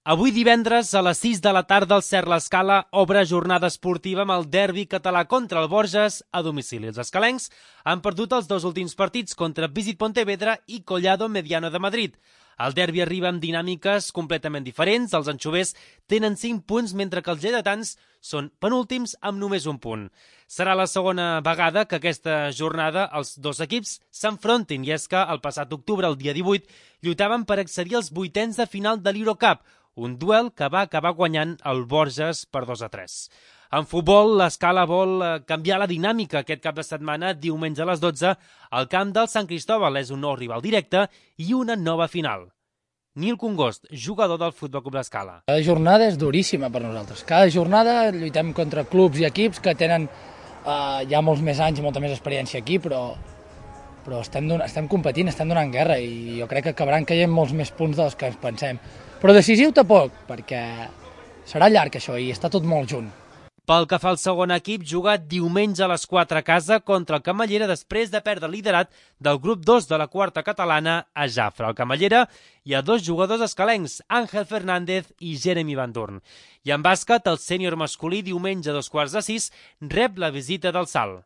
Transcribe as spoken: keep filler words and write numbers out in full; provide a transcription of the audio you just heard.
Avui divendres a les sis de la tarda el Cert l'Escala obre jornada esportiva amb el derbi català contra el Borges a domicili. Els escalencs han perdut els dos últims partits contra Visit Pontevedra i Collado Mediano de Madrid. El derbi arriba amb dinàmiques completament diferents. Els anxovers tenen cinc punts, mentre que els lleidatans són penúltims amb només un punt. Serà la segona vegada que aquesta jornada els dos equips s'enfrontin, i és que el passat octubre, el dia divuit, lluitaven per accedir als vuitens de final de l'Eurocup, un duel que va acabar guanyant el Borges per dos a tres. En futbol, l'Escala vol canviar la dinàmica aquest cap de setmana. Diumenge a les dotze, al camp del Sant Cristóbal és un nou rival directe i una nova final. Nil Congost, jugador del Futbol Club l'Escala. Cada jornada és duríssima per nosaltres. Cada jornada lluitem contra clubs i equips que tenen eh, ja molts més anys i molta més experiència aquí, però, però estem, estem competint, estem donant guerra i jo crec que acabaran caient molts més punts dels que ens pensem. Però decisiu tampoc, perquè serà llarg això i està tot molt junt. Pel que fa al segon equip, jugat diumenge a les quatre a casa contra el Camallera després de perdre el liderat del grup dos de la quarta catalana a Jafre. Al Camallera hi ha dos jugadors escalencs, Ángel Fernández i Jeremy Van Dorn. I en bàsquet, el sènior masculí diumenge a dos quarts de sis rep la visita del Salt.